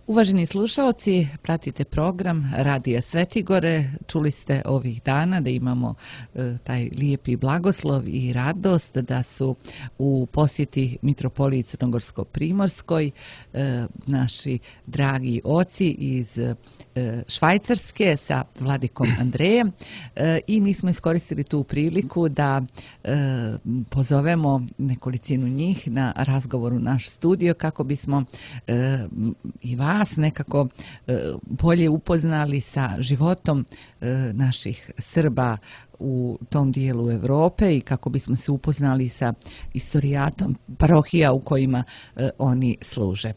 Uvaženi slušalci, pratite program Radija Svetigore. Čuli ste ovih dana da imamo taj lijepi blagoslov i radost da su u posjeti Mitropoliji Crnogorsko-Primorskoj naši dragi oci iz Švajcarske sa vladikom Andrejem i mi smo iskoristili tu priliku da pozovemo nekolicinu njih na razgovor u naš studio kako bismo i vas nekako bolje upoznali sa životom naših Srba u tom dijelu Europe i kako bismo se upoznali sa istorijatom parohija u kojima oni služe.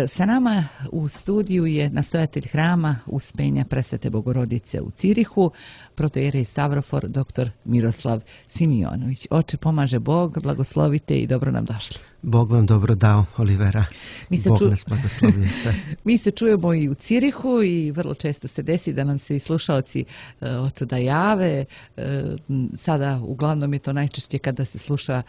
Sa nama u studiju je nastojatelj hrama Uspenja Presvete Bogorodice u Cirihu, protoijerej Stavrofor dr. Miroslav Simionović. Oče, pomaže Bog, blagoslovite i dobro nam došli. Bog vam dobro dao, Olivera. Bog nas blagoslovio sve. Mi se čujemo i u Cirihu i vrlo često se desi da nam se i slušalci otuda jave. Sada uglavnom je to najčešće kada se sluša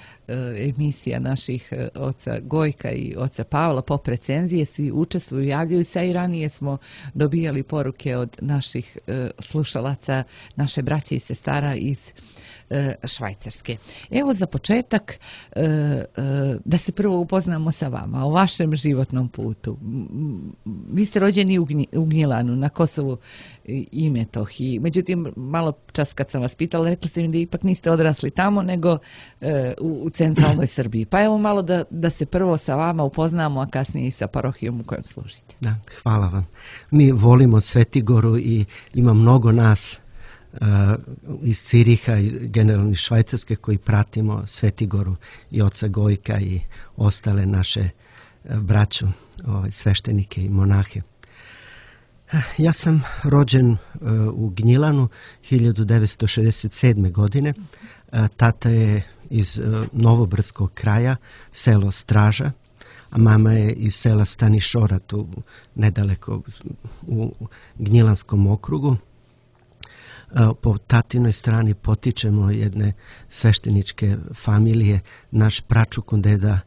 emisija naših oca Gojka i oca Pavla, pop recenzije, svi učestvuju, javljaju se i ranije smo dobijali poruke od naših slušalaca, naše braće i sestara iz Švajcarske. Evo za početak da se prvo upoznamo sa vama, o vašem životnom putu. Vi ste rođeni u Gnjilanu, na Kosovu i Metohiji. Međutim, malo čas kad sam vas pitala, rekli ste mi da ipak niste odrasli tamo, nego u centralnoj Srbiji. Pa evo malo da se prvo sa vama upoznamo, a kasnije i sa parohijom u kojem služite. Da, hvala vam. Mi volimo Svetigoru i ima mnogo nas iz Ciriha i generalno iz Švajcarske koji pratimo Svetigoru i oca Gojka i ostale naše braću, sveštenike i monahe. Ja sam rođen u Gnjilanu 1967. godine. Tata je iz Novobrdskog kraja, selo Straža, a mama je iz sela Stanišora, tu nedaleko u Gnjilanskom okrugu. Po tatinoj strani potičemo jedne svešteničke familije. Naš pračukundeda,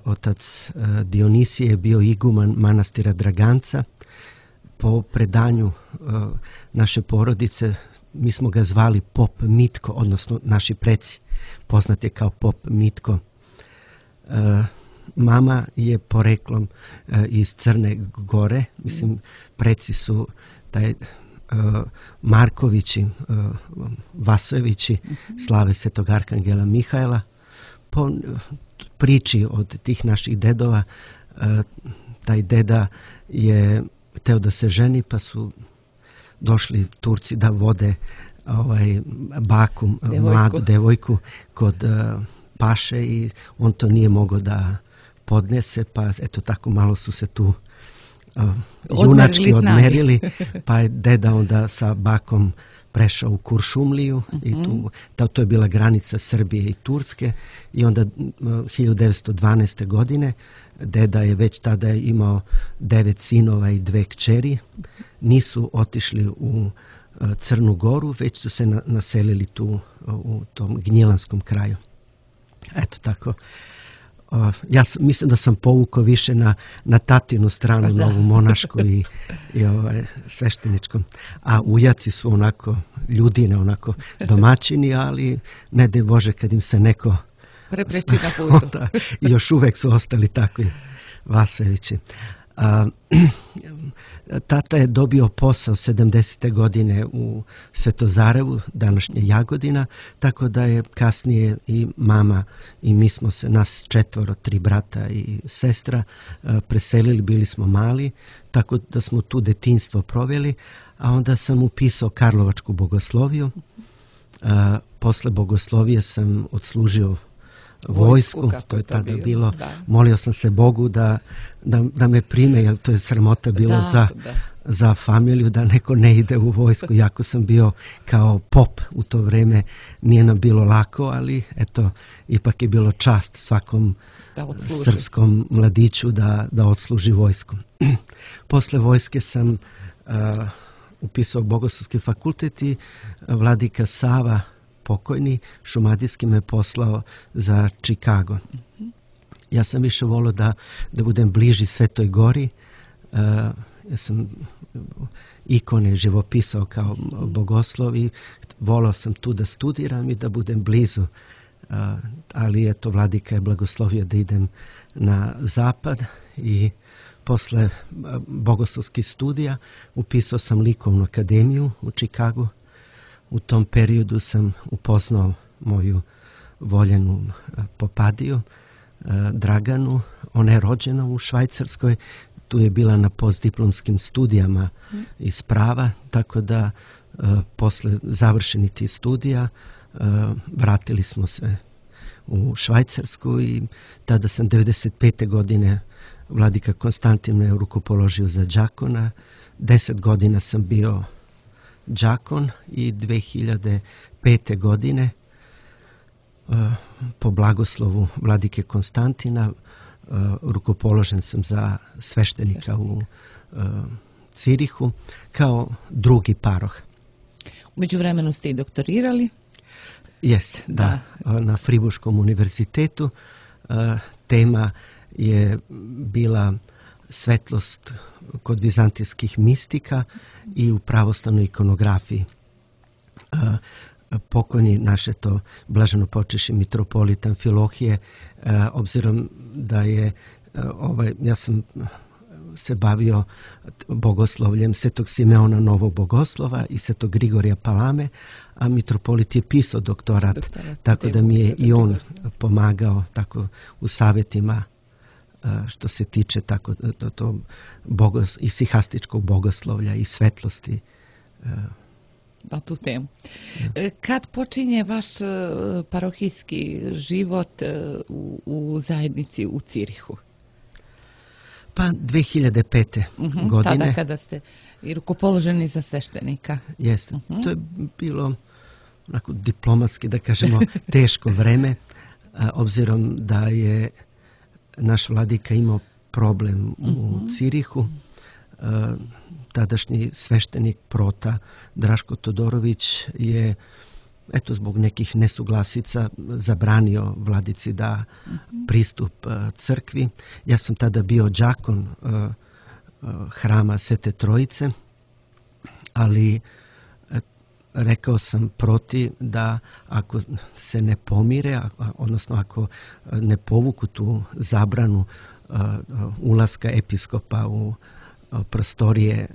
otac Dionisije, je bio iguman manastira Draganca. Po predanju naše porodice mi smo ga zvali pop Mitko, odnosno naši preci, poznat je kao pop Mitko. Mama je poreklom iz Crne Gore, mislim preci su taj Markovići, Vasojevići, slave Svetog Arkangela Mihajla. Po priči od tih naših dedova, taj deda je hteo da se ženi, pa su došli Turci da vode baku, mladu devojku kod paše i on to nije mogao da podnese, pa eto tako malo su se tu junački odmerili, pa je deda onda sa bakom prešao u Kuršumliju i to je bila granica Srbije i Turske i onda 1912. godine deda je već tada imao 9 sinova i 2 kćeri. Nisu otišli u Crnu Goru, već su se naselili tu u tom Gnjilanskom kraju. Eto tako. Ja mislim da sam povukao više na tatinu stranu, na ovu monašku i svešteničkom. A ujaci su onako ljudine, onako domaćini, ali ne daj Bože kad im se neko prepreči na putu. I još uvek su ostali takvi Vasojevići. Tata je dobio posao 70. godine u Svetozarevu, današnje Jagodina, tako da je kasnije i mama i mi smo se, nas 4, 3 brata i sestra, preselili, bili smo mali, tako da smo tu detinjstvo proveli, a onda sam upisao Karlovačku bogosloviju. Posle bogoslovije sam odslužio vojsku, to je tada bilo. Molio sam se Bogu da me prime, jer to je sramota bilo za familiju da neko ne ide u vojsku. Jako sam bio kao pop u to vreme, nije nam bilo lako, ali eto, ipak je bilo čast svakom srpskom mladiću da odsluži vojsku. Posle vojske sam upisao Bogoslovski fakultet i vladika Sava, pokojni, šumadijski, me poslao za Čikago. Ja sam više volio da budem bliži Svetoj Gori, Ja sam ikone živopisao kao bogoslov i volao sam tu da studiram i da budem blizu. Ali eto, vladika je blagoslovio da idem na zapad i posle bogoslovskih studija upisao sam likovnu akademiju u Čikagu. U tom periodu sam upoznao moju voljenu popadiju, Draganu. Ona je rođena u Švajcarskoj. Tu je bila na postdiplomskim studijama iz prava, tako da posle završenih tih studija vratili smo se u Švajcarsku i tada sam 1995. godine vladika Konstantin me rukopoložio za đakona. 10 godina sam bio đakon i 2005. godine po blagoslovu vladike Konstantina rukopoložen sam za sveštenika u Cirihu kao drugi paroh. U međuvremenu ste i doktorirali? Jeste, da. Na Friburškom univerzitetu. Tema je bila svetlost kod vizantijskih mistika i u pravoslavnoj ikonografiji. Pokojni naše to blaženo počeši mitropolitan Filohije, obzirom da je ja sam se bavio bogoslovljem Svetog Simeona Novog Bogoslova i Svetog Grigorija Palame, a mitropolit je pisao doktorat, tako da mi je i on pomagao tako u savjetima što se tiče tako i sihastičkog bogoslovlja i svetlosti. Na tu temu. Kad počinje vaš parohijski život u zajednici u Cirihu? Pa 2005. godine. Tada kada ste i rukopoloženi za sveštenika. Jeste. To je bilo onako diplomatski, da kažemo, teško vreme, obzirom da je naš vladika imao problem u Cirihu. Tadašnji sveštenik prota Draško Todorović je zbog nekih nesuglasica zabranio vladici da pristup crkvi. Ja sam tada bio đakon hrama Svete Trojice, ali rekao sam proti da ako se ne pomire, odnosno ako ne povuku tu zabranu ulaska episkopa u prostorije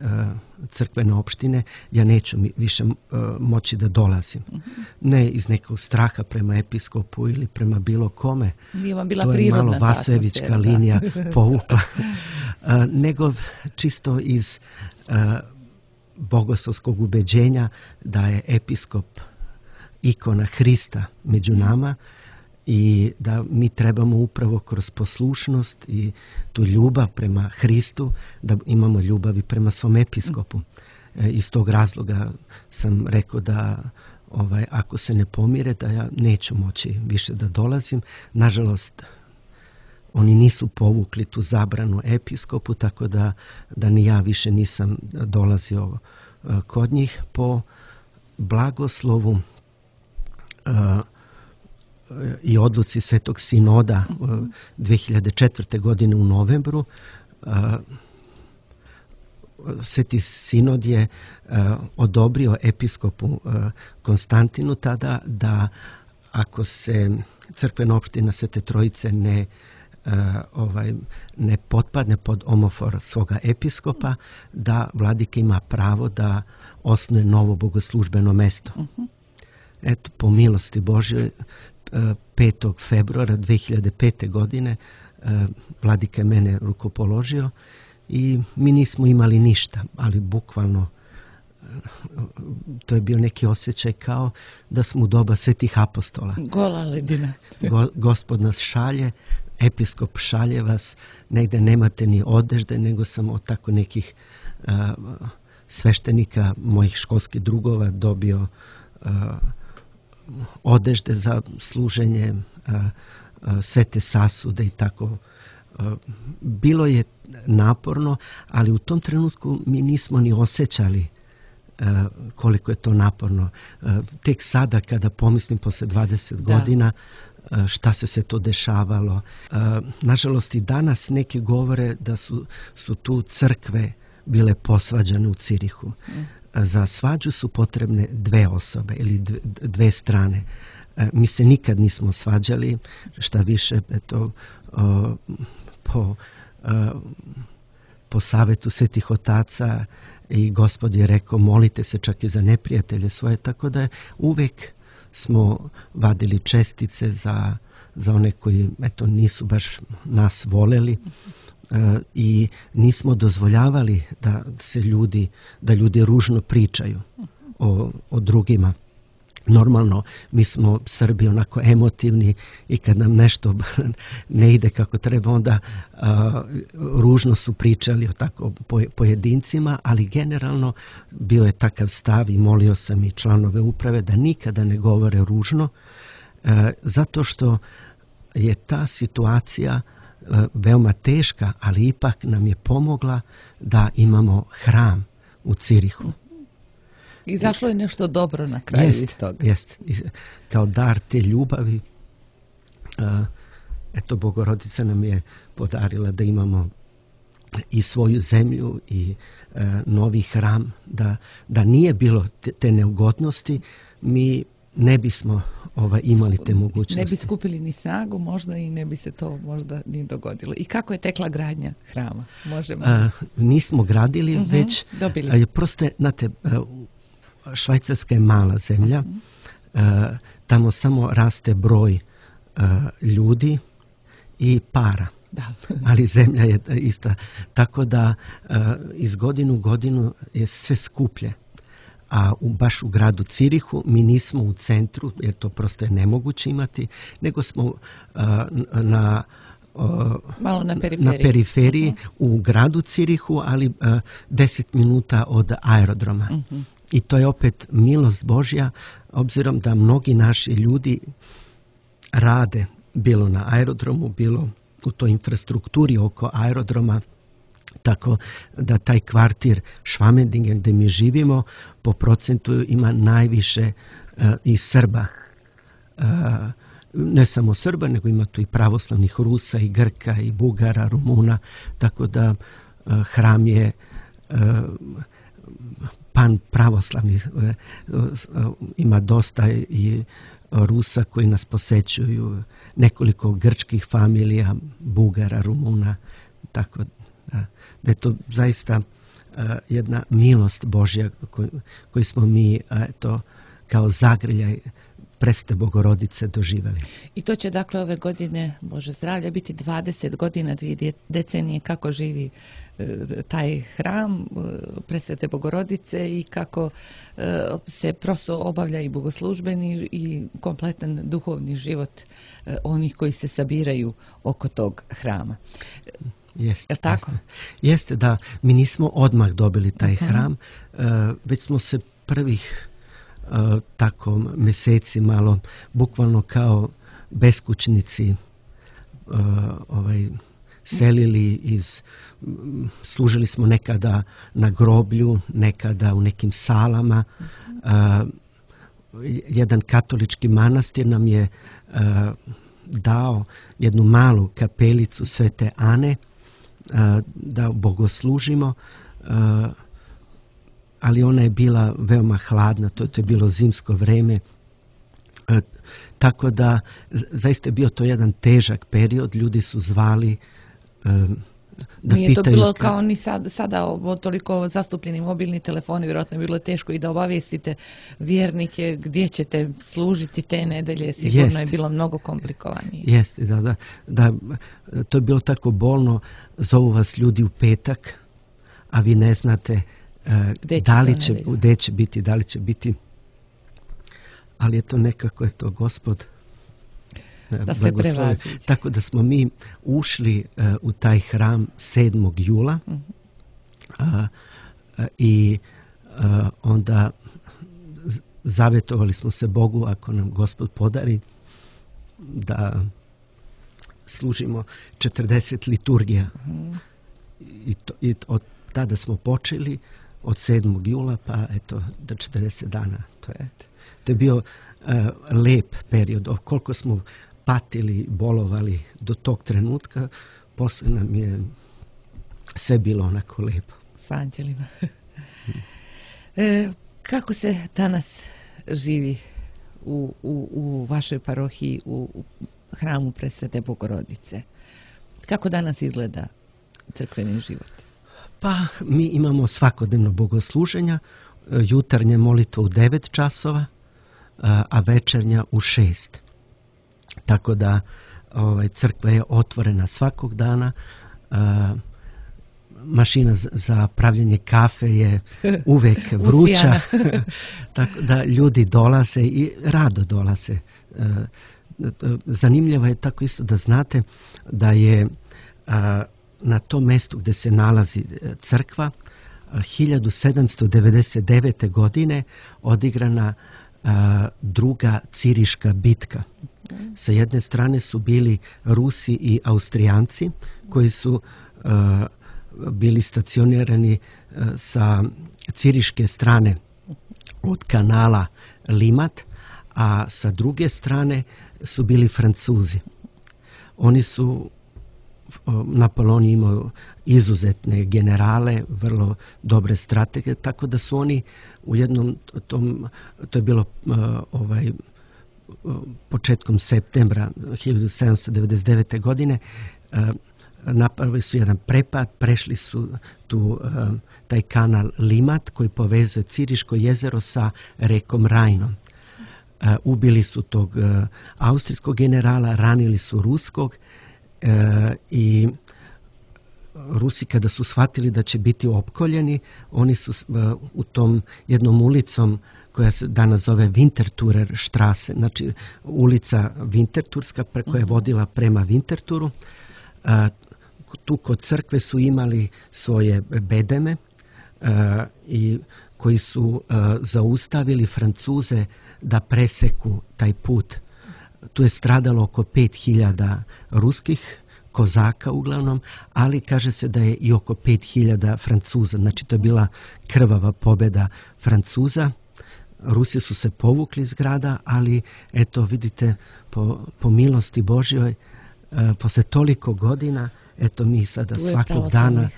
crkvene opštine, ja neću više moći da dolazim. Ne iz nekog straha prema episkopu ili prema bilo kome. Nije vam bila to je malo Vasojevička linija povukla. Nego čisto iz bogoslovskog ubeđenja da je episkop ikona Hrista među nama i da mi trebamo upravo kroz poslušnost i tu ljubav prema Hristu da imamo ljubav i prema svom episkopu. Iz tog razloga sam rekao da ako se ne pomire da ja neću moći više da dolazim. Nažalost, oni nisu povukli tu zabranu episkopu, tako da ni ja više nisam dolazio kod njih. Po blagoslovu i odluci Svetog Sinoda 2004. godine u novembru, Sveti Sinod je odobrio episkopu Konstantinu tada da ako se crkvena opština Svete Trojice ne potpadne pod omofor svoga episkopa, da vladika ima pravo da osnuje novo bogoslužbeno mesto. Eto, po milosti Božjoj, 5. februara 2005. godine vladika je mene rukopoložio i mi nismo imali ništa, ali bukvalno to je bio neki osjećaj kao da smo u doba svetih apostola. Gola ledina. Gospod nas šalje, episkop šalje vas, negde nemate ni odežde, nego sam od tako nekih sveštenika, mojih školskih drugova dobio odežde za služenje, svete sasude i tako. Bilo je naporno, ali u tom trenutku mi nismo ni osjećali koliko je to naporno. Tek sada kada pomislim posle 20 godina šta se to dešavalo. Nažalost i danas neki govore da su tu crkve bile posvađane u Cirihu. Za svađu su potrebne dve osobe ili dve strane. Mi se nikad nismo svađali, šta više, po savjetu svetih otaca i Gospod je rekao molite se čak i za neprijatelje svoje, tako da uvijek smo vadili čestice za one koji nisu baš nas voleli i nismo dozvoljavali da ljudi ružno pričaju o drugima. Normalno, mi smo Srbi onako emotivni i kad nam nešto ne ide kako treba, onda ružno su pričali o tako pojedincima, ali generalno bio je takav stav i molio sam i članove uprave da nikada ne govore ružno, zato što je ta situacija veoma teška, ali ipak nam je pomogla da imamo hram u Cirihu. Izašlo je nešto dobro na kraju iz toga. Jest. Kao dar te ljubavi, Bogorodica nam je podarila da imamo i svoju zemlju i novi hram, da nije bilo te neugodnosti, mi ne bismo imali te mogućnosti. Ne bi skupili ni snagu možda i ne bi se to možda ni dogodilo. I kako je tekla gradnja hrama? Nismo gradili, već dobili. Prosto, znate, Švajcarska je mala zemlja, tamo samo raste broj ljudi i para. Da. Ali zemlja je ista. Tako da iz godinu u godinu je sve skuplje. A baš u gradu Cirihu mi nismo u centru, jer to prosto je nemoguće imati, nego smo malo na periferiji u gradu Cirihu, ali 10 minuta od aerodroma. I to je opet milost Božja, obzirom da mnogi naši ljudi rade bilo na aerodromu, bilo u toj infrastrukturi oko aerodroma, tako da taj kvartir Švamendingen gdje mi živimo po procentu ima najviše i Srba. Ne samo Srba, nego ima tu i pravoslavnih Rusa i Grka i Bugara, Rumuna, tako da hram je pan pravoslavni, ima dosta i Rusa koji nas posećuju, nekoliko grčkih familija, Bugara, Rumuna, tako da je to zaista jedna milost Božja koju smo mi kao zagrljaj Presvete Bogorodice doživjeli. I to će dakle ove godine, Bože zdravlja, biti 20 godina, 2 decenije kako živi taj hram Presvete Bogorodice i kako se prosto obavlja i bogoslužbeni i kompletan duhovni život onih koji se sabiraju oko tog hrama. Jeste, tako? Jeste, da. Mi nismo odmah dobili taj hram, već smo se prvih tako mjeseci malo bukvalno kao beskućnici selili služili smo nekada na groblju, nekada u nekim salama. Jedan katolički manastir nam je dao jednu malu kapelicu Svete Ane da bogoslužimo, ali ona je bila veoma hladna, to je bilo zimsko vreme, tako da zaista je bio to jedan težak period, ljudi su zvali da nije pitaju... to bilo kao ni sada toliko zastupljeni mobilni telefoni, vjerojatno je bilo teško i da obavijestite vjernike gdje ćete služiti te nedelje, sigurno je bilo mnogo komplikovanije. Jeste, da, to je bilo tako bolno, zovu vas ljudi u petak, a vi ne znate gdje će biti, da li će biti, ali je to nekako, Gospod da se prevaziđe. Tako da smo mi ušli u taj hram 7. jula i onda zavjetovali smo se Bogu, ako nam Gospod podari, da služimo 40 liturgija. I od tada smo počeli od 7. jula pa do 40 dana. To je bio lep period. Koliko smo patili, bolovali do tog trenutka. Poslije nam je sve bilo onako lijepo. S anđelima. Kako se danas živi u vašoj parohiji, u hramu Presvete Bogorodice? Kako danas izgleda crkveni život? Pa mi imamo svakodnevno bogosluženja, jutarnje molitva u 9 časova, a večernja u 6. Tako da crkva je otvorena svakog dana. Mašina za pravljenje kafe je uvijek vruća. Tako da ljudi dolaze i rado dolaze. Zanimljivo je tako isto da znate da je na tom mjestu gdje se nalazi crkva 1799. godine odigrana druga Ciriška bitka. Sa jedne strane su bili Rusi i Austrijanci koji su bili stacionirani sa Ciriške strane od kanala Limat, a sa druge strane su bili Francuzi. Oni su, Napoleon imao izuzetne generale, vrlo dobre stratege, tako da su oni u jednom tom, to je bilo početkom septembra 1799. godine, napravili su jedan prepad, prešli su taj kanal Limat koji povezuje Ciriško jezero sa rekom Rajnom. Ubili su tog austrijskog generala, ranili su ruskog i Rusi kada su shvatili da će biti opkoljeni, oni su u tom jednom ulicom koja se danas zove Winterthurer Straße, znači ulica Winterthurska koja je vodila prema Winterthuru. Tu kod crkve su imali svoje bedeme i koji su zaustavili Francuze da preseku taj put. Tu je stradalo oko 5000 ruskih kozaka uglavnom, ali kaže se da je i oko 5000 Francuza. Znači to je bila krvava pobjeda Francuza. Rusi su se povukli iz grada, ali eto vidite po milosti Božjoj posle toliko godina eto mi sada svakog dana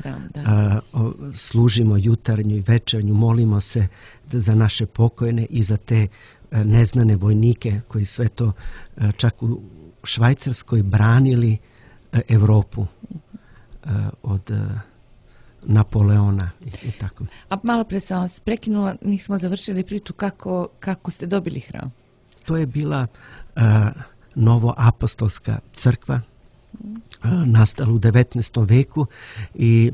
služimo jutarnju i večernju, molimo se za naše pokojne i za te neznane vojnike koji sve to čak u Švajcarskoj branili Europu od Napoleona i tako. A malo pre sam vas prekinula, nismo završili priču kako ste dobili hram. To je bila novoapostolska crkva, nastala u 19. veku i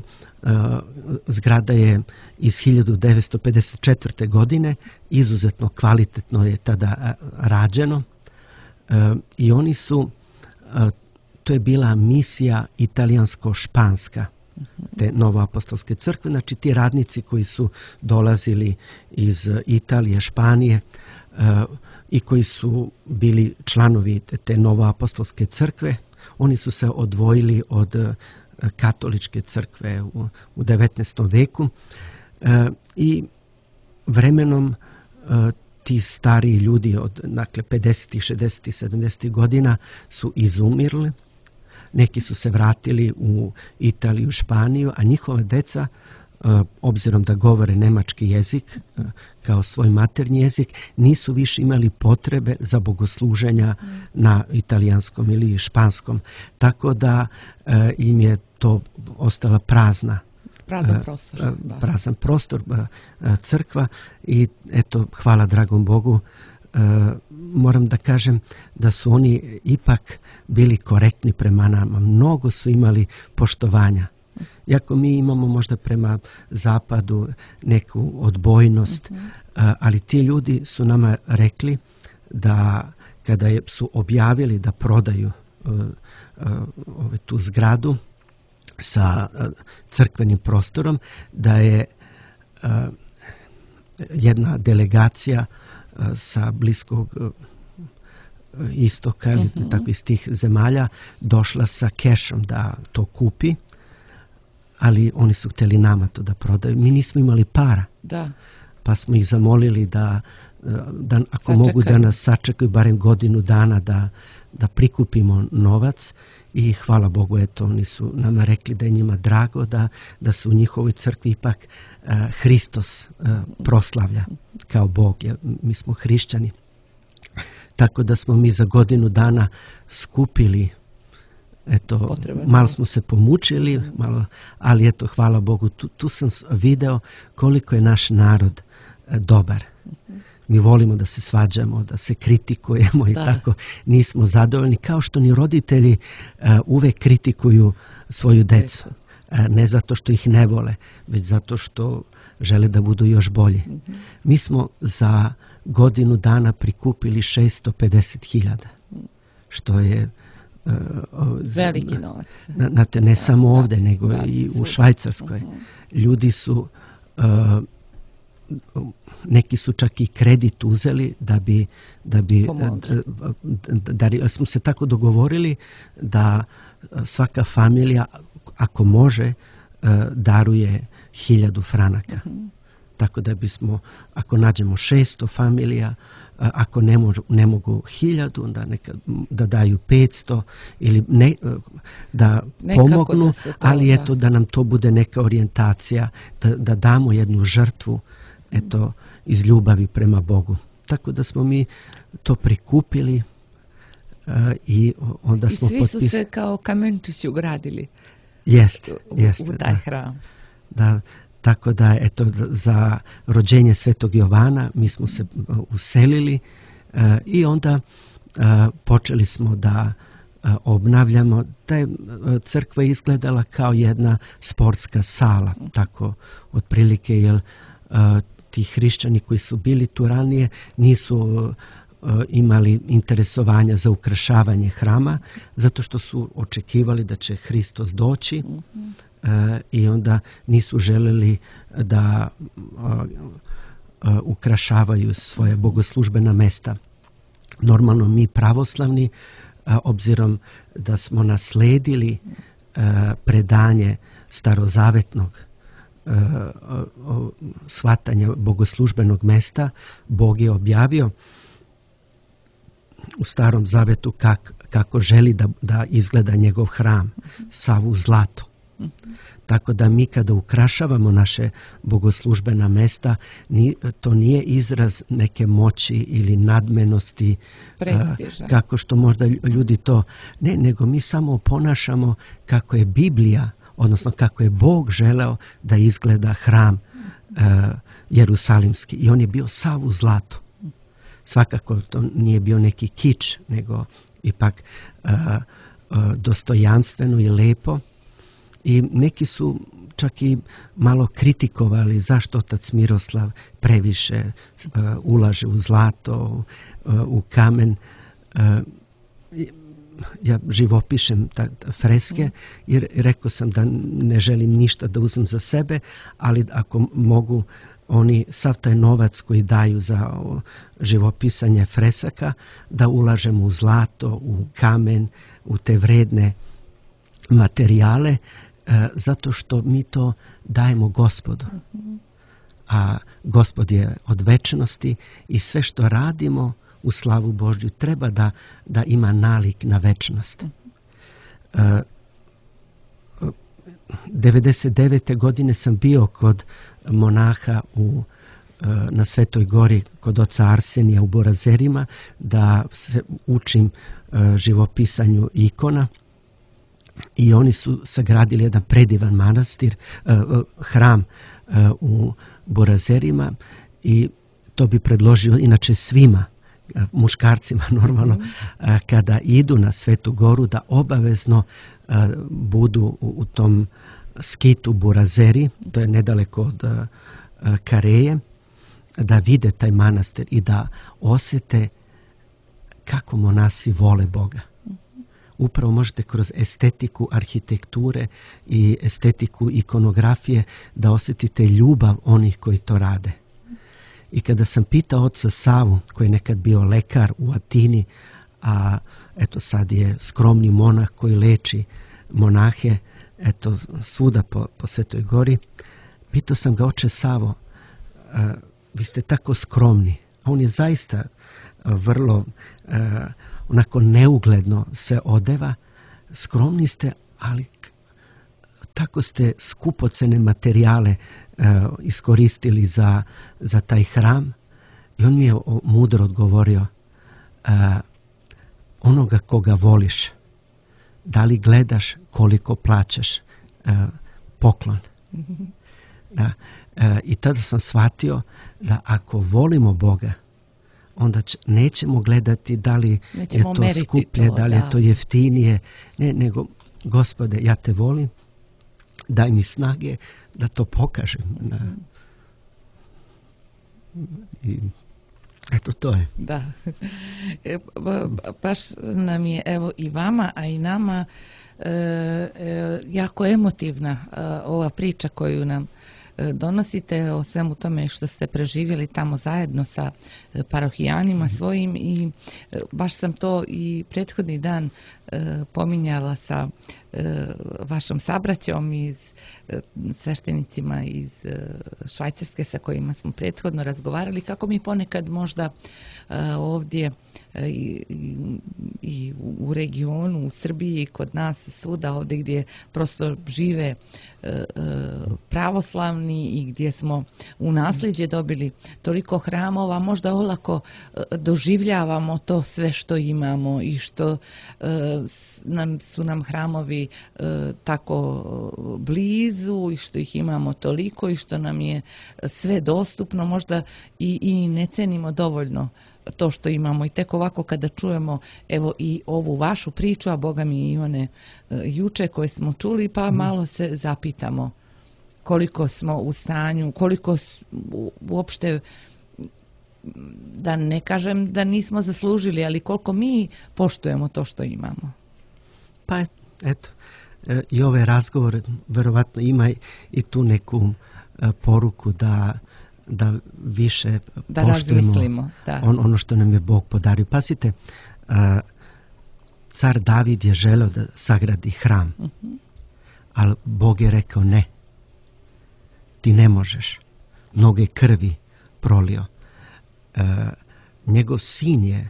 zgrada je iz 1954. godine, izuzetno kvalitetno je tada rađeno i oni su, to je bila misija italijansko-španska te novoapostolske crkve, znači ti radnici koji su dolazili iz Italije, Španije i koji su bili članovi te novoapostolske crkve, oni su se odvojili od katoličke crkve u 19. veku i vremenom ti stariji ljudi od 50., 60., 70. godina su izumirli. Neki su se vratili u Italiju, Španiju, a njihova deca, obzirom da govore nemački jezik kao svoj maternji jezik, nisu više imali potrebe za bogosluženja na italijanskom ili španskom. Tako da im je to ostala prazan prostor, crkva i eto, hvala dragom Bogu, moram da kažem da su oni ipak bili korektni prema nama. Mnogo su imali poštovanja. Iako mi imamo možda prema zapadu neku odbojnost, ali ti ljudi su nama rekli da kada su objavili da prodaju tu zgradu sa crkvenim prostorom, da je jedna delegacija sa Bliskog istoka, tako iz tih zemalja, došla sa kešom da to kupi, ali oni su htjeli nama to da prodaju. Mi nismo imali para, pa smo ih zamolili da ako mogu da nas sačekaju barem godinu dana da prikupimo novac i hvala Bogu, eto, oni su nama rekli da je njima drago da se u njihovoj crkvi ipak Hristos proslavlja kao Bog. Mi smo hrišćani. Tako da smo mi za godinu dana skupili, eto, malo smo se pomučili, ali eto, hvala Bogu, tu sam video koliko je naš narod dobar. Mi volimo da se svađamo, da se kritikujemo i tako nismo zadovoljni, kao što ni roditelji uvek kritikuju svoju decu. Ne zato što ih ne vole, već zato što žele da budu još bolji. Mi smo za godinu dana prikupili 650.000, što je veliki novac. Ne samo ovdje, nego i u Švajcarskoj. Ljudi su, neki su čak i kredit uzeli da bi smo se tako dogovorili da svaka familija, ako može, daruje 1.000 franaka. Tako da bismo, ako nađemo 600 familija, ako ne mogu 1.000, onda da daju 500 ili da pomognu, ali eto da nam to bude neka orijentacija, da damo jednu žrtvu, eto, iz ljubavi prema Bogu. Tako da smo mi to prikupili i onda smo potpisali. I svi su se kao kamenčići ugradili u taj hram. Da. Tako da, eto, za rođenje Svetog Jovana mi smo se uselili i onda počeli smo da obnavljamo. Ta crkva je izgledala kao jedna sportska sala, tako otprilike, jer ti hrišćani koji su bili tu ranije nisu imali interesovanja za ukrašavanje hrama, zato što su očekivali da će Hristos doći. I onda nisu želeli da ukrašavaju svoje bogoslužbena mesta. Normalno mi pravoslavni, obzirom da smo nasledili predanje starozavetnog shvatanja bogoslužbenog mesta, Bog je objavio u Starom Zavetu kako želi da izgleda njegov hram, sav u zlatu. Tako da mi kada ukrašavamo naše bogoslužbena mesta, to nije izraz neke moći ili nadmenosti, prestiža, kako što možda ljudi to, ne, nego mi samo ponašamo kako je Biblija, odnosno kako je Bog želeo da izgleda hram Jerusalimski, i on je bio sav u zlatu. Svakako to nije bio neki kič, nego ipak dostojanstveno i lepo. I neki su čak i malo kritikovali zašto otac Miroslav previše ulaže u zlato, u kamen. Ja živopišem freske jer rekao sam da ne želim ništa da uzmem za sebe, ali ako mogu oni sav taj novac koji daju za živopisanje fresaka da ulažemo u zlato, u kamen, u te vredne materijale, zato što mi to dajemo Gospodu. A Gospod je od večnosti i sve što radimo u slavu Božju treba da ima nalik na večnost. 99. godine sam bio kod monaha na Svetoj gori kod oca Arsenija u Borazerima da se učim živopisanju ikona. I oni su sagradili jedan predivan manastir, hram u Borazerima, i to bi predložio inače svima, muškarcima normalno, kada idu na Svetu goru da obavezno budu u tom skitu Borazeri, to je nedaleko od Kareje, da vide taj manastir i da osjete kako monasi vole Boga. Upravo možete kroz estetiku arhitekture i estetiku ikonografije da osjetite ljubav onih koji to rade. I kada sam pitao oca Savu, koji je nekad bio lekar u Atini, a eto sad je skromni monah koji leči monahe, eto svuda po Svetoj gori, pitao sam ga: oče Savo, vi ste tako skromni. A on je zaista vrlo onako neugledno se odeva, skromni ste, ali tako ste skupocene materijale iskoristili za taj hram. I on mi je mudro odgovorio, onoga koga voliš, da li gledaš koliko plaćaš poklon? Da. I tada sam shvatio da ako volimo Boga, onda nećemo gledati da li je to skuplje, da li je to jeftinije, ne, nego Gospode, ja te volim, daj mi snage da to pokažem. I eto, to je. Da. Baš nam je, evo i vama, a i nama, jako emotivna ova priča koju nam donosite o svemu tome što ste preživjeli tamo zajedno sa parohijanima svojim, i baš sam to i prethodni dan pominjala sa vašom sabraćom iz sveštenicima iz Švajcarske sa kojima smo prethodno razgovarali, kako mi ponekad možda ovdje i u regionu, u Srbiji, kod nas svuda ovdje gdje prosto žive pravoslavni i gdje smo u nasljeđe dobili toliko hramova, možda olako doživljavamo to sve što imamo i što su nam hramovi tako blizu i što ih imamo toliko i što nam je sve dostupno, možda i ne cenimo dovoljno to što imamo. I tek ovako kada čujemo evo i ovu vašu priču, a Boga mi i one juče koje smo čuli, pa malo se zapitamo koliko smo u stanju, koliko uopšte, da ne kažem da nismo zaslužili, ali koliko mi poštujemo to što imamo. Pa eto, i ovaj razgovor verovatno ima i tu neku poruku da više da poštujemo ono što nam je Bog podario. Pazite, car David je želeo da sagradi hram, ali Bog je rekao ne, ti ne možeš, mnoge krvi prolio. Njegov sin je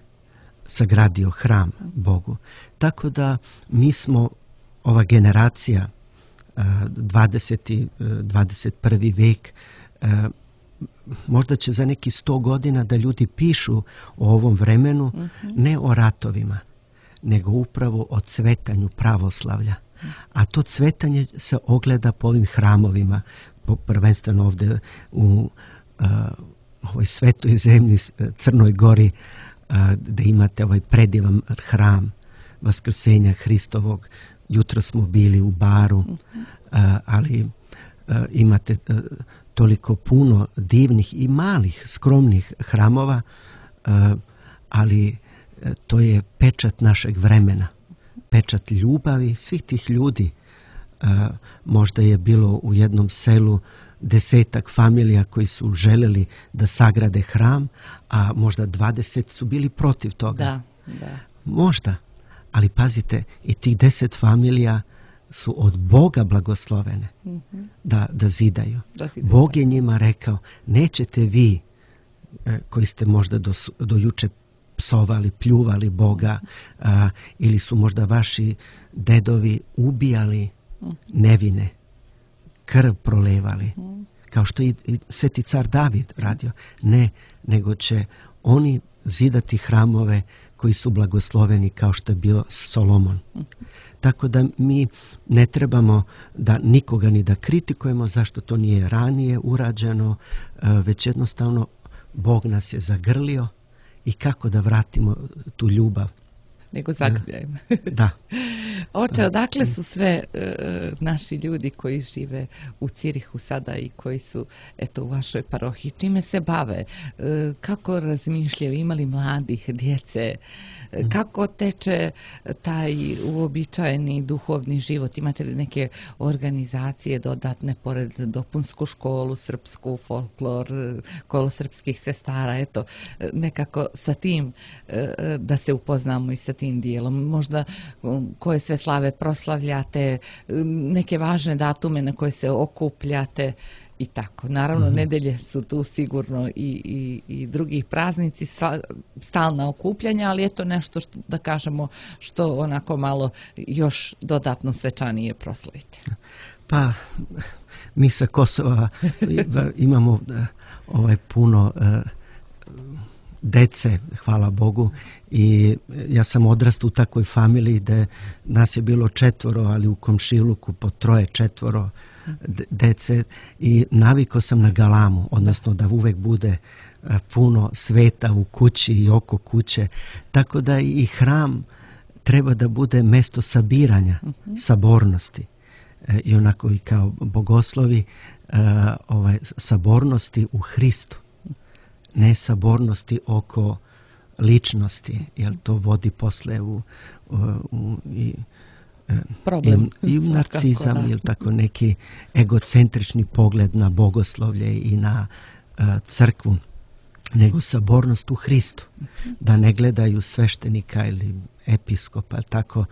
sagradio hram Bogu. Tako da mi smo, ova generacija, 20. 21. vek, možda će za neki 100 godina da ljudi pišu o ovom vremenu, ne o ratovima, nego upravo o cvetanju pravoslavlja. A to cvetanje se ogleda po ovim hramovima, prvenstveno ovdje u ovoj svetoj zemlji, Crnoj Gori, da imate ovaj predivan hram Vaskrsenja Hristovog. Jutro smo bili u Baru, ali imate toliko puno divnih i malih, skromnih hramova, ali to je pečat našeg vremena, pečat ljubavi svih tih ljudi. Možda je bilo u jednom selu 10 familija koji su želeli da sagrade hram, a možda 20 su bili protiv toga. Da. Možda, ali pazite, i tih 10 familija su od Boga blagoslovene da zidaju. Bog je njima rekao, nećete vi koji ste možda do juče psovali, pljuvali Boga, ili su možda vaši dedovi ubijali nevine, krv prolevali, kao što i sveti car David radio. Ne, nego će oni zidati hramove koji su blagosloveni kao što je bio Solomon. Tako da mi ne trebamo da nikoga ni da kritikujemo zašto to nije ranije urađeno, već jednostavno Bog nas je zagrlio i kako da vratimo tu ljubav. Nego zagrljajmo. Da. Oče, odakle su sve naši ljudi koji žive u Cirihu sada i koji su u vašoj parohiji? Čime se bave? Kako razmišljaju? Ima li mladih, djece? Kako teče taj uobičajeni duhovni život? Imate li neke organizacije dodatne pored dopunsku školu, srpsku, folklor, kolo srpskih sestara? Eto, nekako sa tim da se upoznamo i sa tim dijelom. Možda koje sve slave proslavljate, neke važne datume na koje se okupljate i tako. Naravno, nedelje su tu sigurno i drugih praznici, stalna okupljanja, ali je to nešto što, da kažemo, što onako malo još dodatno svečanije proslavite. Pa, mi sa Kosova imamo puno dece, hvala Bogu, i ja sam odrastao u takvoj familiji da nas je bilo 4, ali u komšiluku po 3, 4 dece i navikao sam na galamu, odnosno da uvek bude puno sveta u kući i oko kuće, tako da i hram treba da bude mesto sabiranja, sabornosti. I onako i kao bogoslovi sabornosti u Hristu, ne sabornosti oko ličnosti, jer to vodi posle u problem i narcizam ili tako neki egocentrični pogled na bogoslovlje i na crkvu, nego sabornost u Hristu, da ne gledaju sveštenika ili episkopa tako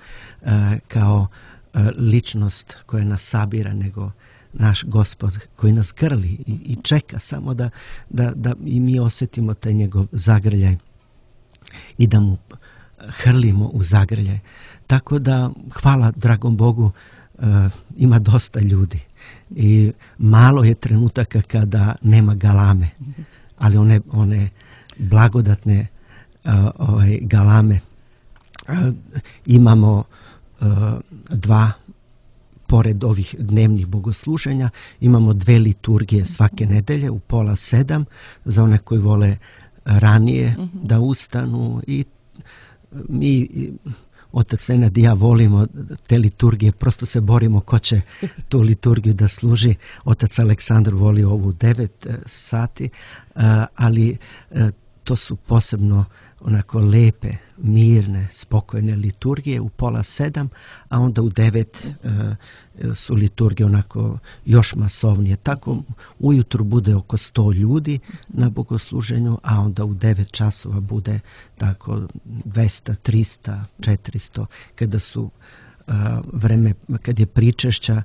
kao ličnost koja nas sabira, nego naš Gospod koji nas grli i čeka samo da i mi osjetimo taj njegov zagrljaj i da mu hrlimo u zagrljaj. Tako da, hvala dragom Bogu, ima dosta ljudi i malo je trenutaka kada nema galame, ali one blagodatne galame imamo 2, pored ovih dnevnih bogosluženja, imamo 2 liturgije svake nedelje u 6:30 za one koji vole ranije da ustanu i mi, otac Nenad i ja, volimo te liturgije, prosto se borimo ko će tu liturgiju da služi. Otac Aleksandar voli ovu 9 sati, ali to su posebno onako lepe, mirne, spokojne liturgije u 6:30, a onda u 9 su liturgije onako još masovnije. Tako ujutru bude oko 100 ljudi na bogosluženju, a onda u 9 časova bude tako 200, 300, 400. Kada su vreme, kad je pričešća,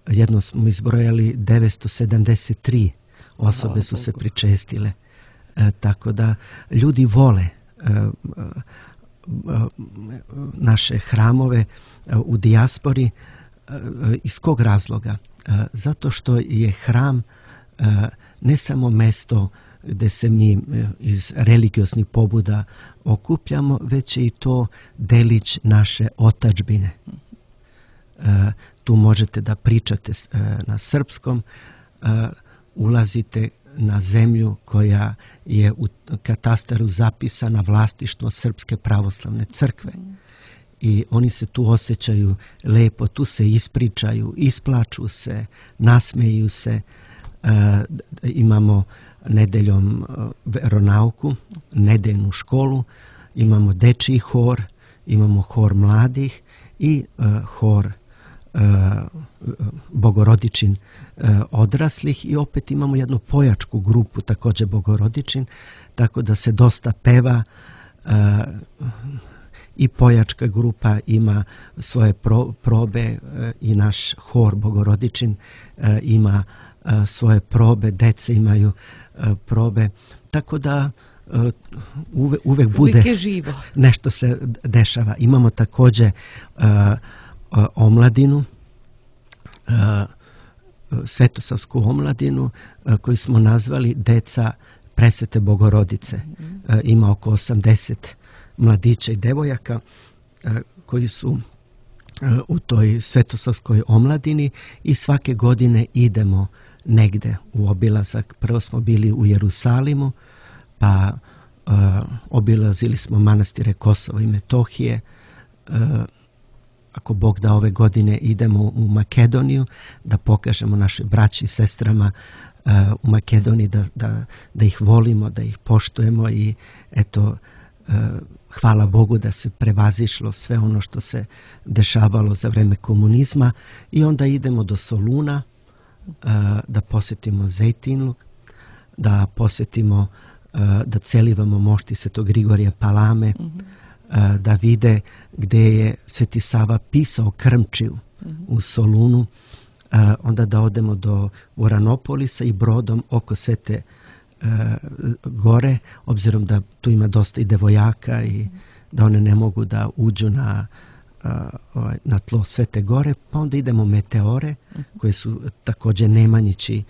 jedno smo izbrojali 973 osobe su se pričestile. Tako da ljudi vole naše hramove u dijaspori. Iz kog razloga? Zato što je hram ne samo mesto gde se mi iz religioznih pobuda okupljamo, već je i to delić naše otadžbine. Tu možete da pričate na srpskom, ulazite na zemlju koja je u katastaru zapisana vlasništvo Srpske pravoslavne crkve. I oni se tu osjećaju lepo, tu se ispričaju, isplaču se, nasmeju se. Imamo nedeljom veronauku, nedeljnu školu, imamo dečiji hor, imamo hor mladih i hor Bogorodičin odraslih i opet imamo jednu pojačku grupu, također Bogorodičin, tako da se dosta peva i pojačka grupa ima svoje probe i naš hor Bogorodičin ima svoje probe, dece imaju probe, tako da uvek bude nešto se dešava. Imamo također omladinu, svetosavsku omladinu koju smo nazvali Deca Presvete Bogorodice. Ima oko 80 mladića i devojaka koji su u toj svetosavskoj omladini i svake godine idemo negde u obilazak. Prvo smo bili u Jerusalimu, pa obilazili smo manastire Kosova i Metohije. Ako Bog da, ove godine idemo u Makedoniju da pokažemo našoj braći i sestrama u Makedoniji da ih volimo, da ih poštujemo i eto, hvala Bogu da se prevazišlo sve ono što se dešavalo za vreme komunizma i onda idemo do Soluna da posjetimo Zejtinluk, da posjetimo, da celivamo mošti Svetog Grigorija Palame, da vide gde je Sveti Sava pisao Krmčiju u Solunu onda da odemo do Uranopolisa i brodom oko Svete gore, obzirom da tu ima dosta i devojaka i da one ne mogu da uđu na tlo Svete gore, pa onda idemo Meteore, koje su također Nemanjići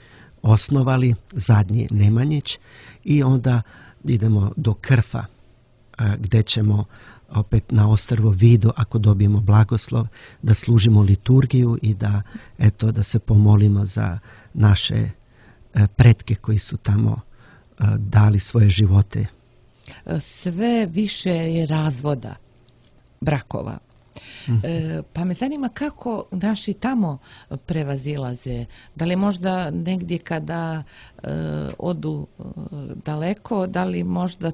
osnovali, zadnji Nemanjić, i onda idemo do Krfa, gdje ćemo opet na ostrvo Vido, ako dobijemo blagoslov, da služimo liturgiju i da se pomolimo za naše pretke koji su tamo dali svoje živote. Sve više je razvoda brakova. Pa me zanima kako naši tamo prevazilaze. Da li možda negdje kada odu daleko, da li možda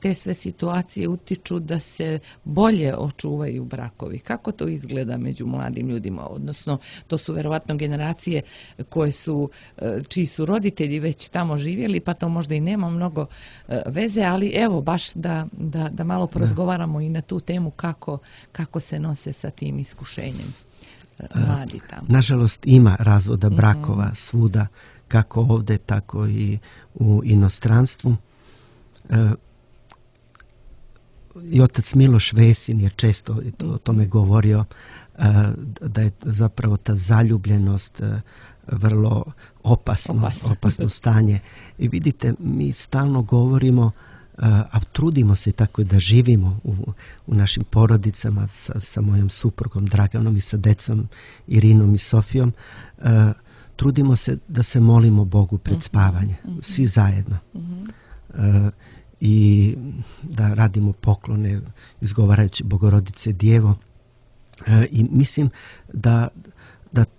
te sve situacije utiču da se bolje očuvaju brakovi? Kako to izgleda među mladim ljudima? Odnosno, to su verovatno generacije čiji su roditelji već tamo živjeli, pa to možda i nema mnogo veze, ali evo, baš da malo porazgovaramo i na tu temu kako se nose sa tim iskušenjem mladi tamo. Nažalost, ima razvoda brakova svuda, kako ovdje, tako i u inostranstvu. I otac Miloš Vesin je često o tome govorio, da je zapravo ta zaljubljenost vrlo opasno stanje. I vidite, mi stalno govorimo, a trudimo se tako da živimo u našim porodicama sa mojom suprugom Draganom i sa decom Irinom i Sofijom. Trudimo se da se molimo Bogu pred spavanje, svi zajedno. I da radimo poklone izgovarajući Bogorodice Djevo. I mislim da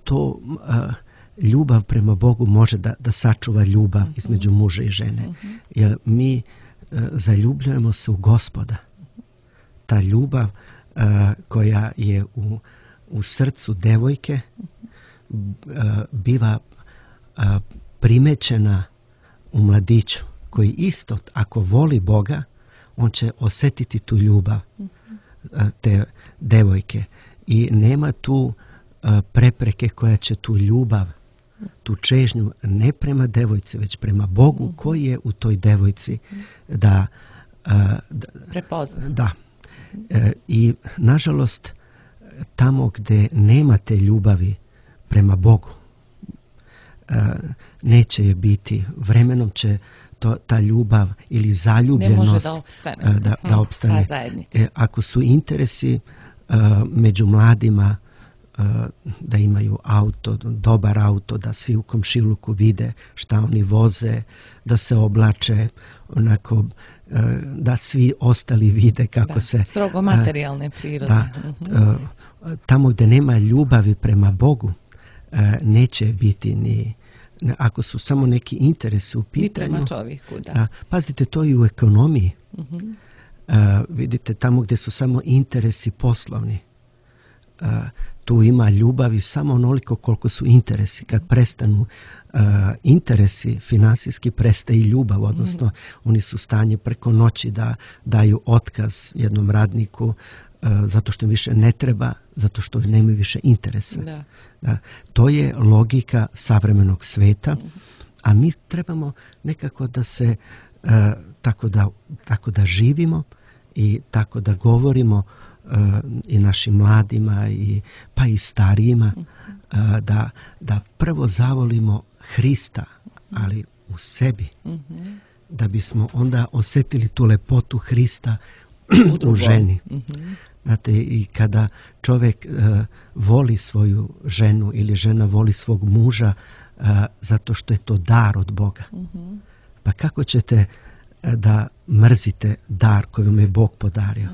to ljubav prema Bogu može da sačuva ljubav između muža i žene. Jer mi zaljubljujemo se u Gospoda. Ta ljubav koja je u srcu devojke biva primećena u mladiću, koji isto, ako voli Boga, on će osjetiti tu ljubav te devojke. I nema tu prepreke koja će tu ljubav, tu čežnju ne prema devojci, već prema Bogu koji je u toj devojci da prepozna. Da. I nažalost, tamo gdje nemate ljubavi prema Bogu, neće je biti. Vremenom će ta ljubav ili zaljubljenost ne može da opstane. Ako su interesi među mladima da imaju auto, dobar auto, da svi u komšiluku vide šta oni voze, da se oblače onako, da svi ostali vide kako se... Strogo materijalne prirode. Tamo gdje nema ljubavi prema Bogu, neće biti ni... Ako su samo neki interesi u pitanju... I prema čovjeku, da. Pazite, to i u ekonomiji. Vidite, tamo gdje su samo interesi poslovni, tu ima ljubavi samo onoliko koliko su interesi. Kad prestanu interesi finansijski, prestaje i ljubav, odnosno oni su u stanju preko noći da daju otkaz jednom radniku zato što im više ne treba, zato što nemaju više interesa. Da. To je logika savremenog sveta, a mi trebamo nekako da se tako da živimo i tako da govorimo i našim mladima pa i starijima, da prvo zavolimo Hrista, ali u sebi, da bismo onda osjetili tu lepotu Hrista u ženi. Znate, i kada čovjek voli svoju ženu ili žena voli svog muža, zato što je to dar od Boga. Pa kako ćete da mrzite dar koji vam je Bog podario?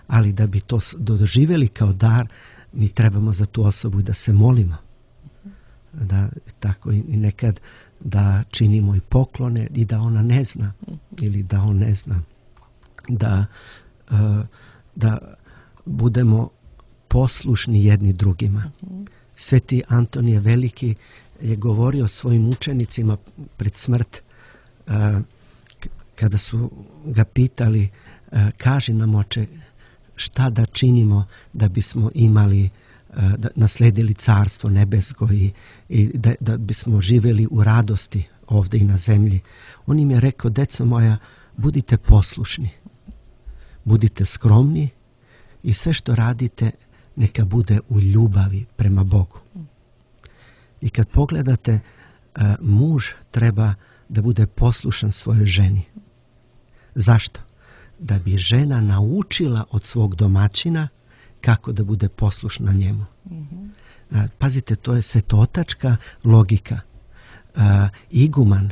Ali da bi to doživjeli kao dar, mi trebamo za tu osobu da se molimo. Da tako i nekad da činimo i poklone i da ona ne zna ili da on ne zna. Da budemo poslušni jedni drugima. Sveti Antonije Veliki je govorio svojim učenicima pred smrt, kada su ga pitali, kaži nam, oče, šta da činimo da bismo imali da nasledili carstvo nebesko i da bismo živjeli u radosti ovdje i na zemlji. On im je rekao, deco moja, budite poslušni, budite skromni i sve što radite neka bude u ljubavi prema Bogu. I kad pogledate, muž treba da bude poslušan svojoj ženi. Zašto? Da bi žena naučila od svog domaćina kako da bude poslušna njemu. Pazite, to je svetotačka logika. Iguman,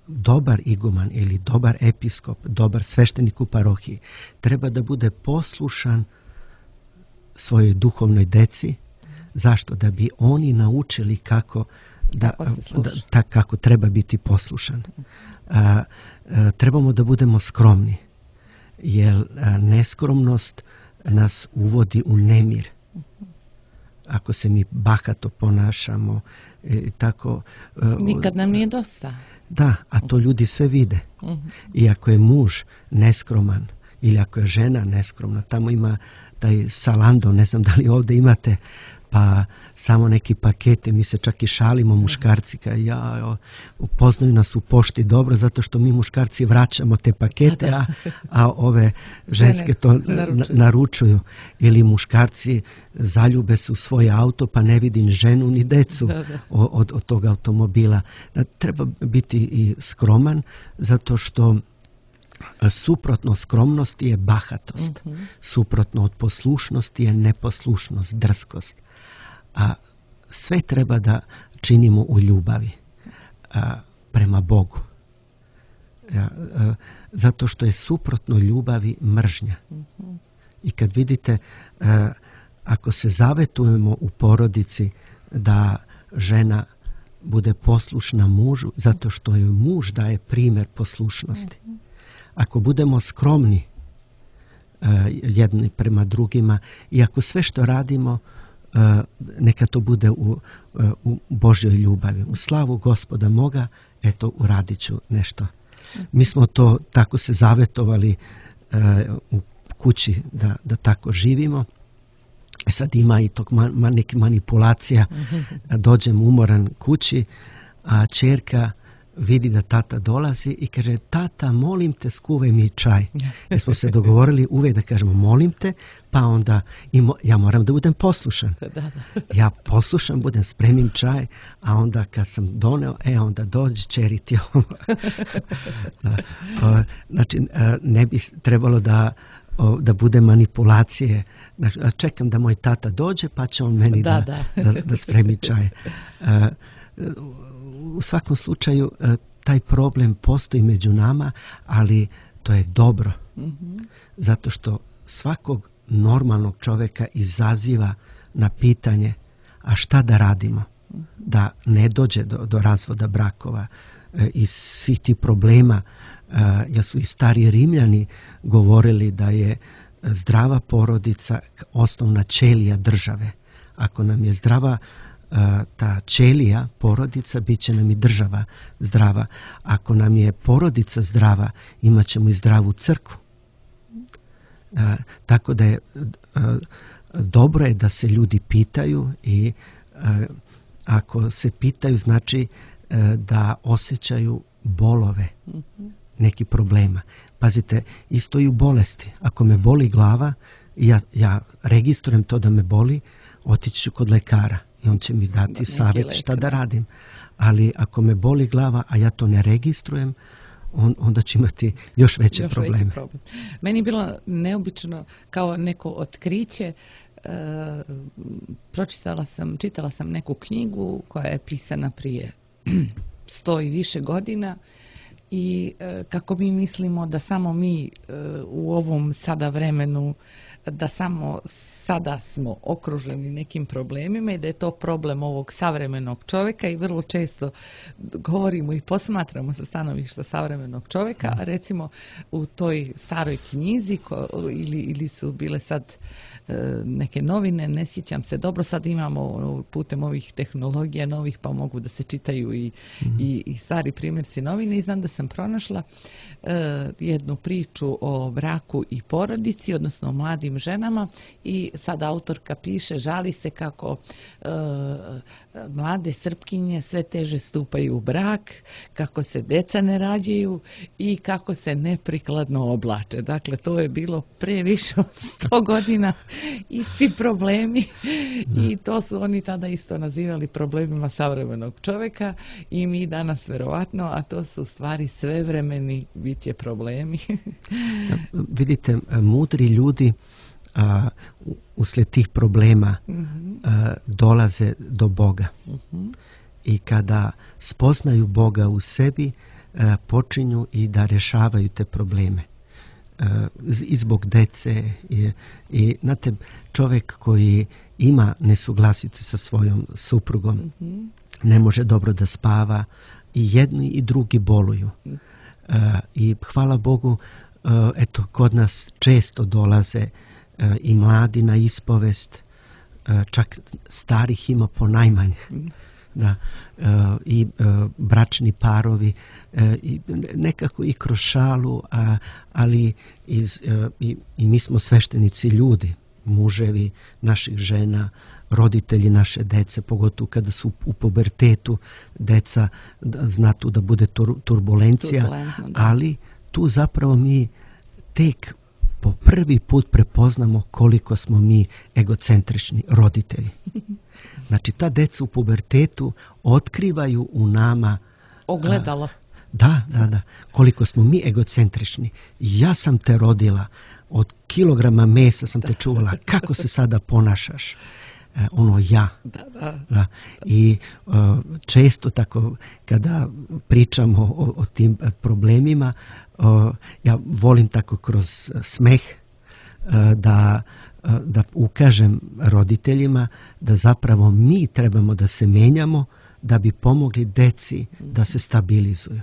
dobar iguman ili dobar episkop, dobar sveštenik u parohiji treba da bude poslušan svojoj duhovnoj deci. Zašto? Da bi oni naučili kako treba biti poslušan. Trebamo da budemo skromni, jer neskromnost nas uvodi u nemir. Ako se mi bahato ponašamo, tako... Nikad nam nije dosta. Da, a to ljudi sve vide. I ako je muž neskroman ili ako je žena neskromna, tamo ima taj Salando, ne znam da li ovdje imate, pa samo neki pakete, mi se čak i šalimo muškarci, upoznaju nas u pošti dobro, zato što mi muškarci vraćamo te pakete, a ove ženske to naručuju. Ili muškarci zaljube se u svoj auto, pa ne vidi ni ženu ni decu od tog automobila. Treba biti i skroman, zato što suprotno skromnosti je bahatost. Suprotno od poslušnosti je neposlušnost, drskost. A sve treba da činimo u ljubavi prema Bogu. Zato što je suprotno ljubavi mržnja. I kad vidite, ako se zavetujemo u porodici da žena bude poslušna mužu, zato što joj muž daje primjer poslušnosti. Ako budemo skromni jedni prema drugima i ako sve što radimo neka to bude u Božjoj ljubavi. U slavu Gospoda moga, eto, uradit ću nešto. Mi smo to tako se zavetovali u kući da tako živimo. Sad ima i tog neke manipulacija. Dođem umoran kući, a ćerka vidi da tata dolazi i kaže, tata, molim te, skuvaj mi čaj. Jer smo se dogovorili uvijek da kažemo molim te, pa onda ja moram da budem poslušan. Ja poslušam, budem, spremim čaj, a onda kad sam doneo, onda dođi, čeri ti ovo. Znači, ne bi trebalo da bude manipulacije. Znači, čekam da moj tata dođe, pa će on meni da spremi čaj. U svakom slučaju taj problem postoji među nama, ali to je dobro. Zato što svakog normalnog čovjeka izaziva na pitanje, a šta da radimo? Da ne dođe do razvoda brakova i svih tih problema. Jer su i stari Rimljani govorili da je zdrava porodica osnovna ćelija države. Ako nam je zdrava ta ćelija, porodica, bit će nam i država zdrava. Ako nam je porodica zdrava, imat ćemo i zdravu crkvu. Tako da je dobro je da se ljudi pitaju i ako se pitaju, znači da osjećaju bolove, neki problema. Pazite, isto i u bolesti. Ako me boli glava, ja registrujem to da me boli, otići ću kod lekara i on će mi dati savjet šta da radim. Ali ako me boli glava, a ja to ne registrujem, onda će imati još veće probleme. Meni je bilo neobično kao neko otkriće. Čitala sam neku knjigu koja je pisana prije 100 i više godina i kako mi mislimo da samo mi u ovom sada vremenu, da samo sada smo okruženi nekim problemima i da je to problem ovog savremenog čovjeka i vrlo često govorimo i posmatramo sa stanovišta savremenog čovjeka. Recimo u toj staroj knjizi ili su bile sad neke novine, ne sjećam se dobro, sad imamo putem ovih tehnologija novih pa mogu da se čitaju i stari primjerci novine i znam da sam pronašla jednu priču o braku i porodici, odnosno o mladim mladim ženama i sad autorka piše, žali se kako mlade Srpkinje sve teže stupaju u brak, kako se deca ne rađaju i kako se neprikladno oblače. Dakle, to je bilo pre više od 100 godina isti problemi i to su oni tada isto nazivali problemima savremenog čovjeka i mi danas verovatno, a to su u stvari svevremeni bit će problemi. Vidite, mudri ljudi uslijed tih problema dolaze do Boga. I kada spoznaju Boga u sebi, počinju i da rješavaju te probleme. I zbog dece. I znate, čovjek koji ima nesuglasice sa svojom suprugom, ne može dobro da spava, i jedni i drugi boluju. I hvala Bogu, eto, kod nas često dolaze i mladi na ispovest, čak starih ima ponajmanje. Da, i bračni parovi, i nekako i kroz šalu, ali i mi smo sveštenici ljudi, muževi naših žena, roditelji naše dece, pogotovo kada su u pubertetu, deca zna tu da bude turbulencija, ali tu zapravo mi tek po prvi put prepoznamo koliko smo mi egocentrični roditelji. Znači, ta deca u pubertetu otkrivaju u nama ogledalo. Da. Koliko smo mi egocentrični. Ja sam te rodila, od kilograma mesa sam te čuvala, kako se sada ponašaš? Ono ja. Da. I često tako kada pričamo o tim problemima, ja volim tako kroz smeh da ukažem roditeljima da zapravo mi trebamo da se menjamo da bi pomogli deci da se stabilizuju.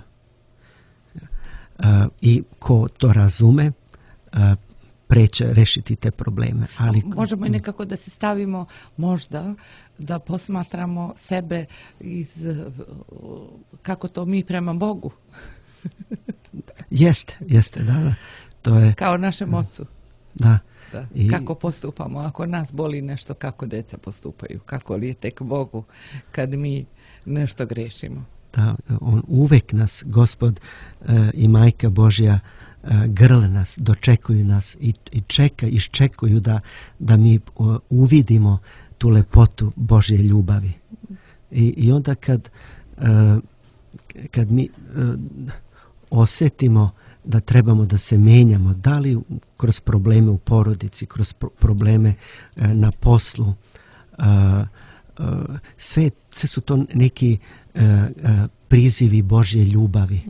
I ko to razume, preće rešiti te probleme. Ali možemo i nekako da se stavimo, možda da posmatramo sebe kako to mi prema Bogu. Jeste, da. To je kao našem ocu. Da. Kako postupamo, ako nas boli nešto, kako deca postupaju, kako li je tek Bogu kad mi nešto grešimo. Da, on uvek nas, Gospod i Majka Božja, grle nas, dočekuju nas i iščekuju da mi uvidimo tu lepotu Božje ljubavi. I onda kad mi osjetimo da trebamo da se menjamo, da li kroz probleme u porodici, kroz probleme na poslu, sve su to neki prizivi Božje ljubavi.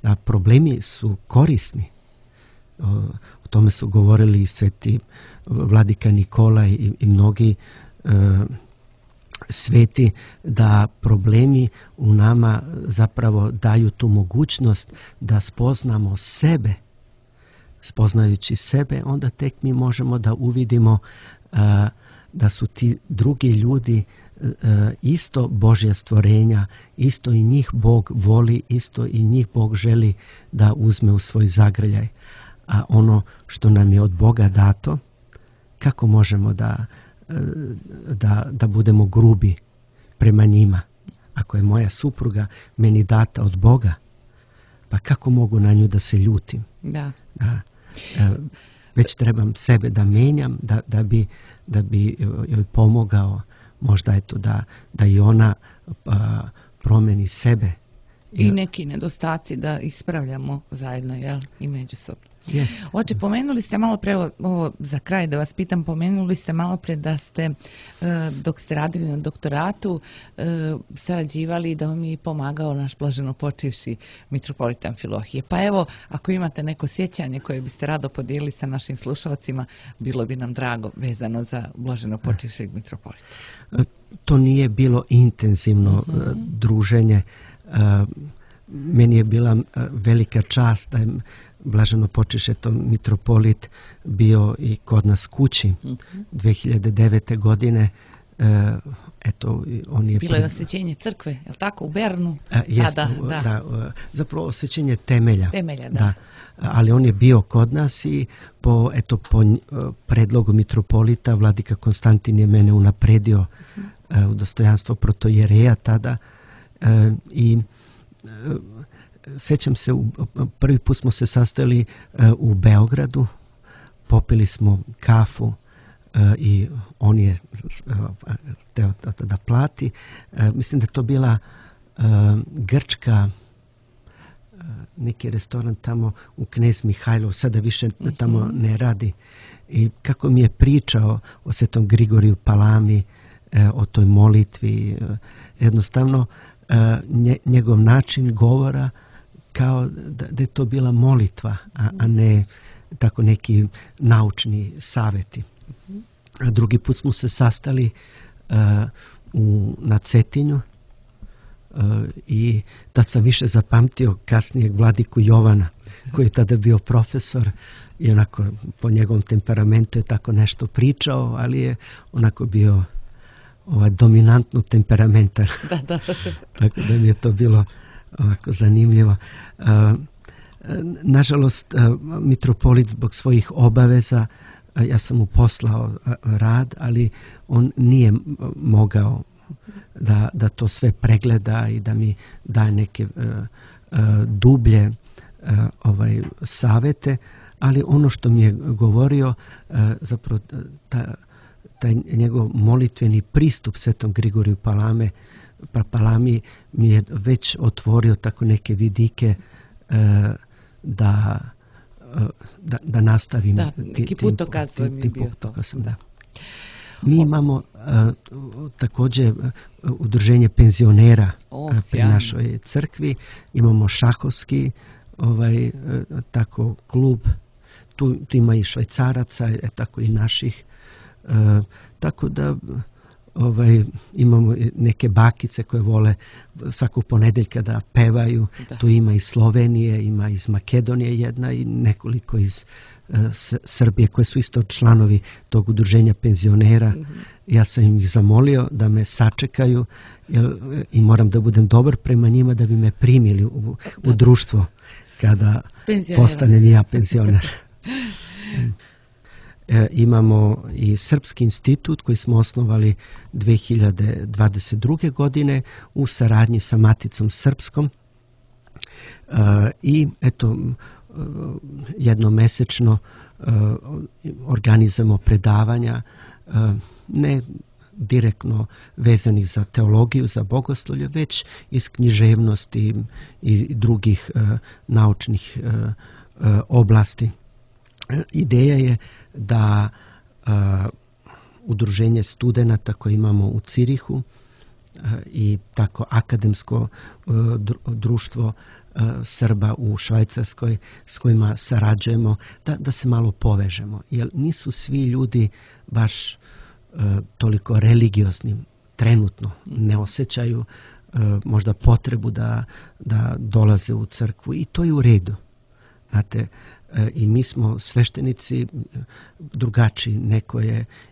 A problemi su korisni. O tome su govorili i sveti vladika Nikolaj i mnogi sveti, da problemi u nama zapravo daju tu mogućnost da spoznamo sebe. Spoznajući sebe, onda tek mi možemo da uvidimo da su ti drugi ljudi isto Božja stvorenja, isto i njih Bog voli, isto i njih Bog želi da uzme u svoj zagrljaj. A ono što nam je od Boga dato, kako možemo da budemo grubi prema njima? Ako je moja supruga meni data od Boga, pa kako mogu na nju da se ljutim? Da. Već trebam sebe da menjam, da bi joj pomogao, možda eto da i ona promeni sebe. I neki nedostaci da ispravljamo zajedno, jel? I međusobno. Yes. Oče, pomenuli ste malo pre, ovo za kraj da vas pitam, pomenuli ste malo pre da ste, dok ste radili na doktoratu, sarađivali, da vam je pomagao naš blaženo počivši mitropolit Amfilohije. Pa evo, ako imate neko sjećanje koje biste rado podijelili sa našim slušalcima, bilo bi nam drago vezano za blaženo počivšeg mitropolita. To nije bilo intenzivno druženje. Meni je bila velika čast da je blaženo počivši mitropolit bio i kod nas kući 2009. godine. eto, on je... Bilo je osvećenje crkve, je li tako, u Bernu? Jeste, zapravo osvećenje temelja. Da. Ali on je bio kod nas i po predlogu mitropolita vladika Konstantin je mene unapredio u dostojanstvo protojereja tada i sjećam se, prvi put smo se sastali u Beogradu, popili smo kafu i on je teo da plati. Mislim da je to bila grčka, neki restoran tamo u Knez Mihajlov, sada više tamo ne radi. I kako mi je pričao o Svetom Grigoriju Palami, o toj molitvi, jednostavno njegov način govora kao da je to bila molitva, a ne tako neki naučni savjeti. Drugi put smo se sastali na Cetinju i tad sam više zapamtio kasnijeg vladiku Jovana, koji je tada bio profesor i onako po njegovom temperamentu je tako nešto pričao, ali je onako bio dominantno temperamentan. Da. Tako da mi je to bilo ovako zanimljivo. Nažalost, mitropolit zbog svojih obaveza, ja sam mu poslao rad, ali on nije mogao da to sve pregleda i da mi daje neke dublje savjete, ali ono što mi je govorio, zapravo taj njegov molitveni pristup Svetom Grigoriju Palami mi je već otvorio tako neke vidike da nastavim neki putokaz mi je bio to. Da. Mi imamo također udruženje penzionera pri našoj crkvi, imamo šahovski tako klub, tu ima i Švajcaraca, tako i naših, tako da imamo neke bakice koje vole svakog ponedjeljka da pevaju. Da. Tu ima iz Slovenije, ima iz Makedonije jedna i nekoliko iz Srbije koje su isto članovi tog udruženja penzionera. Mm-hmm. Ja sam ih zamolio da me sačekaju i moram da budem dobar prema njima da bi me primili u društvo kada postanem ja penzioner. Imamo i Srpski institut koji smo osnovali 2022. godine u saradnji sa Maticom Srpskom i eto jednomesečno organizujemo predavanja ne direktno vezanih za teologiju, za bogoslovlje, već iz književnosti i drugih naučnih oblasti. Ideja je da udruženje studenata koje imamo u Cirihu i tako akademsko društvo Srba u Švajcarskoj s kojima sarađujemo, da se malo povežemo. Jer nisu svi ljudi baš toliko religiozni trenutno, ne osjećaju možda potrebu da dolaze u crkvu i to je u redu. Znate, i mi smo sveštenici drugačiji. Neko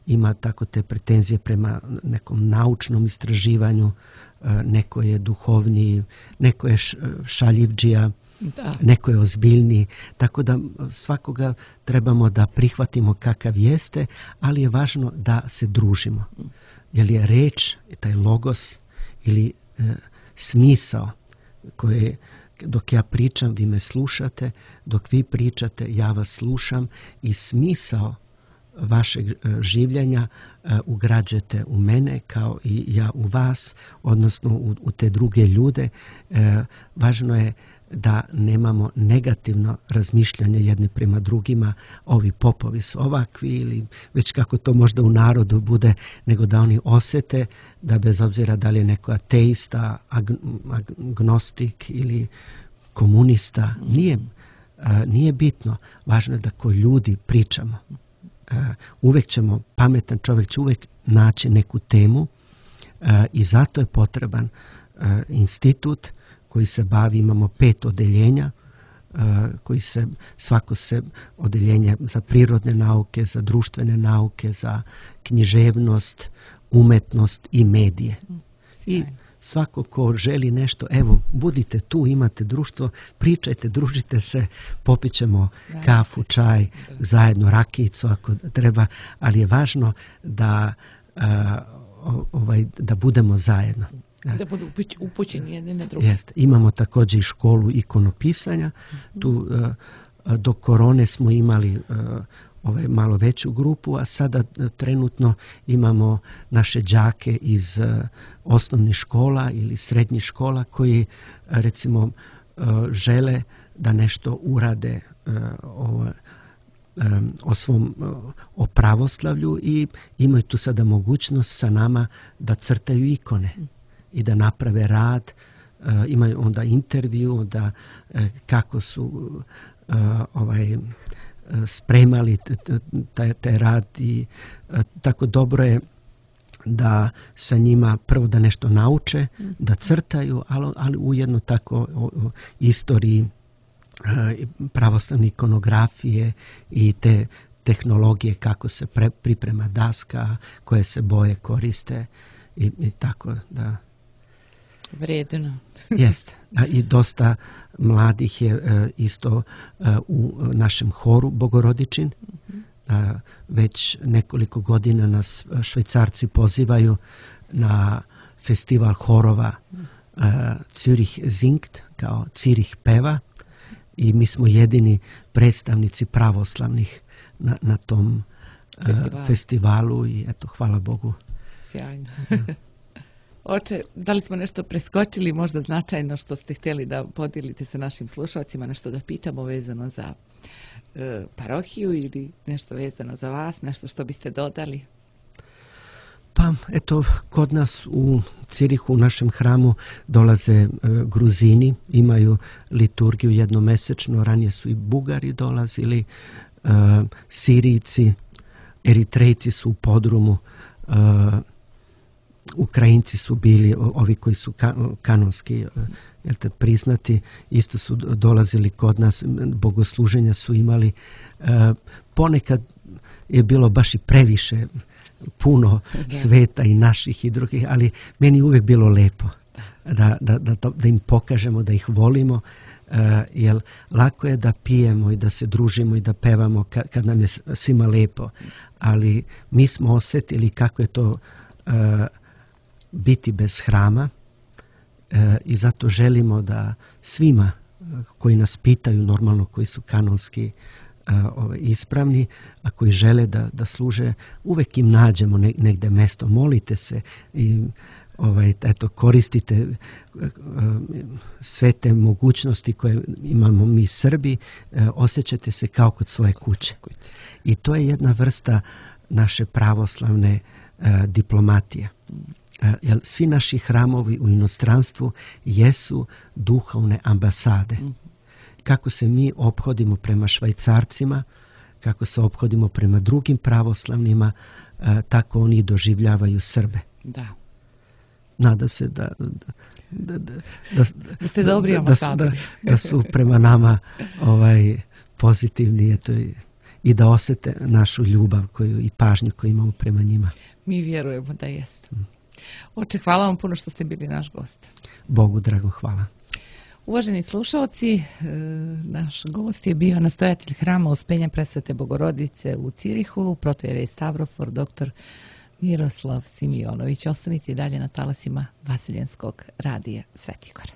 ima tako te pretenzije prema nekom naučnom istraživanju, neko je duhovniji, neko je šaljivdžija, neko je ozbiljniji. Tako da svakoga trebamo da prihvatimo kakav jeste, ali je važno da se družimo. Jer je reč, taj logos ili smisao koje dok ja pričam, vi me slušate, dok vi pričate, ja vas slušam i smisao vašeg življenja ugrađujete u mene kao i ja u vas, odnosno u te druge ljude. Važno je da nemamo negativno razmišljanje jedni prema drugima, ovi popovi su ovakvi ili već kako to možda u narodu bude, nego da oni osjete da bez obzira da li je neko ateista, agnostik ili komunista, nije bitno. Važno je da ko ljudi pričamo. Uvijek pametan čovjek će uvijek naći neku temu i zato je potreban institut koji se bavi, imamo 5 odeljenja, svako se odeljenje za prirodne nauke, za društvene nauke, za književnost, umetnost i medije. Sjajno. I svako ko želi nešto, evo, budite tu, imate društvo, pričajte, družite se, popit ćemo kafu, čaj, zajedno rakijicu ako treba, ali je važno da, da budemo zajedno. Da budu upućeni jedni na drugi. Jeste. Imamo također i školu ikonopisanja. Tu do korone smo imali malo veću grupu, a sada trenutno imamo naše đake iz osnovnih škola ili srednjih škola koji recimo žele da nešto urade o pravoslavlju i imaju tu sada mogućnost sa nama da crtaju ikone i da naprave rad, imaju onda intervju, da kako su spremali taj rad i tako dobro je da sa njima prvo da nešto nauče, da crtaju, ali ujedno tako o istoriji pravoslavne ikonografije i te tehnologije kako se priprema daska, koje se boje koriste i tako da. Vredno. Jeste. I dosta mladih je isto u našem horu Bogorodičin. Već nekoliko godina nas Švajcarci pozivaju na festival horova Zürich Singt, kao Cirih peva, i mi smo jedini predstavnici pravoslavnih na tom festivalu i eto, hvala Bogu. Sjajno. Oče, da li smo nešto preskočili, možda značajno što ste htjeli da podijelite sa našim slušalcima, nešto da pitamo vezano za parohiju ili nešto vezano za vas, nešto što biste dodali? Pa, eto, kod nas u Cirihu, u našem hramu, dolaze Gruzini, imaju liturgiju jednomesečno, ranije su i Bugari dolazili, Sirijci, Eritrejci su u podrumu, Ukrajinci su bili, ovi koji su kanonski priznati, isto su dolazili kod nas, bogosluženja su imali. Ponekad je bilo baš i previše, puno sveta i naših i drugih, ali meni je uvijek bilo lepo da im pokažemo, da ih volimo, jer lako je da pijemo i da se družimo i da pevamo kad nam je svima lepo, ali mi smo osjetili kako je to biti bez hrama i zato želimo da svima koji nas pitaju, normalno koji su kanonski ispravni, a koji žele da služe, uvek im nađemo negde mesto. Molite se i eto, koristite sve te mogućnosti koje imamo mi Srbi, osjećate se kao kod svoje kuće. I to je jedna vrsta naše pravoslavne diplomatije. Jer svi naši hramovi u inostranstvu jesu duhovne ambasade. Kako se mi ophodimo prema Švajcarcima, kako se ophodimo prema drugim pravoslavnima, tako oni doživljavaju Srbe. Da. Nadam se da ste dobri ambasadori. Da su prema nama pozitivni i da osjete našu ljubav i pažnju koju imamo prema njima. Mi vjerujemo da jeste. Oče, hvala vam puno što ste bili naš gost. Bogu drago, hvala. Uvaženi slušalci, naš gost je bio nastojatelj hrama Uspenja Presvete Bogorodice u Cirihu, protojerej Stavrofor, dr. Miroslav Simionović. Ostanite dalje na talasima Vaseljenskog radija Svetigora.